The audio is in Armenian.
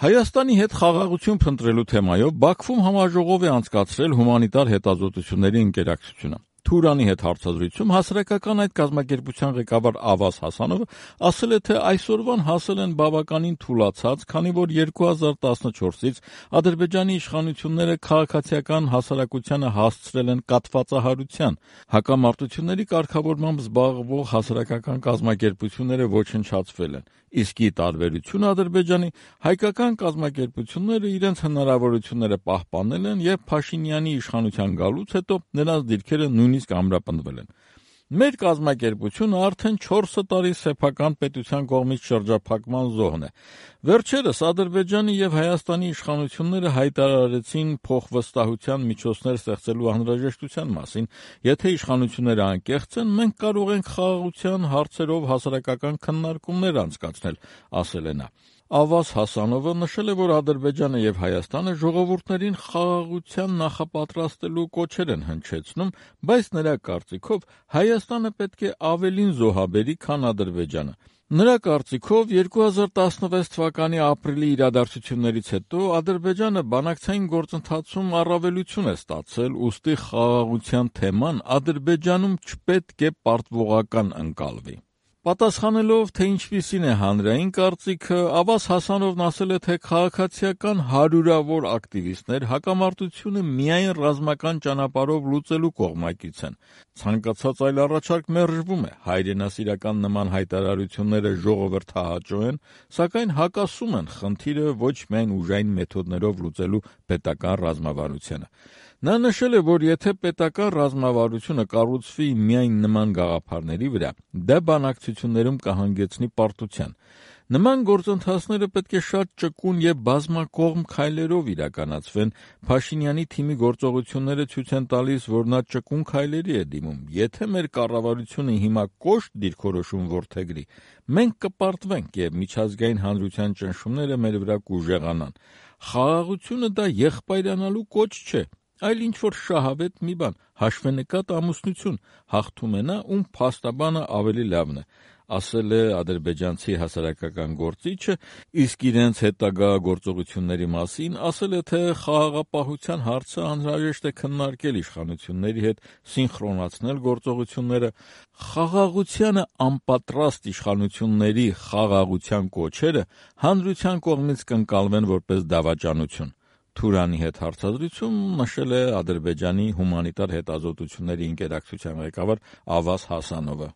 Հայաստանի հետ խաղաղություն փնտրելու թեմայով Բաքվում համաժողով է անցկացրել հումանիտար հետազոտությունների ընկերակցությունը։ Թուրանի հետ հարցազրույցում հասարակական այդ կազմակերպության ղեկավար Ավազ Հասանովը ասել է, թե այսօրվան հասել են բավականին թուլացած, քանի որ 2014-ից Ադրբեջանի իշխանությունները քաղաքացիական հասարակությանը հասցրել են կաթվածահարության, հակամարտությունների կարգավորմամբ զբաղվող հասարակական կազմակերպությունները ոչնչացվել են, իսկ ի տարբերություն Ադրբեջանի, հայկական կազմակերպությունները իրենց հնարավորությունները պահպանել են և Փաշինյանի իշխանության գալուց հետո նրանց դիրքերը նույնիսկ ամրապնդվել են։ Մեր կազմակերպությունը արդեն 4 տարի սեփական պետության կողմից շրջափակման զոհն է։ Վերջերս Ադրբեջանի և Հայաստանի իշխանությունները հայտարարեցին փոխվստահության միջոցներ ստեղծելու անհրաժեշտության մասին։ Եթե իշխանությունները անկեղծ են, մենք կարող ենք խաղաղության հարցերով հասարակական քննարկումներ անցկացնել, ասել է նա։ Ավազ Հասանովը նշել է, որ Ադրբեջանը և Հայաստանը ժողովուրդներին խաղաղության նախապատրաստելու կոչեր են հնչեցնում, բայց նրա կարծիքով Հայաստանը պետք է ավելին զոհաբերի, քան Ադրբեջանը։ Նրա կարծիքով 2016 թվականի ապրիլի իրադարձություններից հետո Ադրբեջանը բանակցային գործընթացում առավելություն է ստացել, ուստի խաղաղության թեման Ադրբեջանում չպետք է պարտվողական ընկալվի։ Պատասխանելով, թե ինչպիսին է հանրային կարծիքը, Ավազ Հասանովն ասել է, թե քաղաքացիական հարյուրավոր ակտիվիստներ հակամարտությունը միայն ռազմական ճանապարհով լուծելու կողմակից են։ Ցանկացած այլ առաջարկ մերժվում է, հայրենասիրական նման հայտարարությունները ժողովրդահաճո են, սակայն հակասում են խնդիրը ոչ միայն ուժային մեթոդներով լուծելու պետական ռազմավարությանը։ Նա նշել է, որ եթե պետական ռազմավարությունը կառուցվի միայն նման գաղափարների վրա, դա բանակցություններում կհանգեցնի պարտության։ Նման գործընթացները պետք է շատ ճկուն և բազմակողմ քայլերով իրականացվեն։ Փաշինյանի թիմի գործողությունները ցույց են տալիս, որ նա ճկուն քայլերի է դիմում։ Եթե մեր կառավարությունը հիմա կոշտ դիրքորոշում որդեգրի, մենք կպարտվենք և միջազգային հանրության ճնշումները մեր վրա կուժեղանան։ Խաղաղությունը դա եղբայրանալու կոչ չէ, այլ ինչ-որ շահավետ մի բան, հաշվենկատ ամուսնություն, հաղթում է նա, ում փաստաբանը ավելի լավն է, ասել է ադրբեջանցի հասարակական գործիչը, իսկ իրենց հետագա գործողությունների մասին ասել է, թե խաղաղապահության հարցը անհրաժեշտ է քննարկել իշխանությունների հետ, սինխրոնացնել գործողությունները, խաղաղությանը անպատրաստ իշխանությունների խաղաղության կոչերը հանրության կողմից կընկալվեն որպես դավաճանություն։ Թուրանի հետ հարցազրույցում նշել է Ադրբեջանի հումանիտար հետազոտությունների ընկերակցության ղեկավար Ավազ Հասանովը։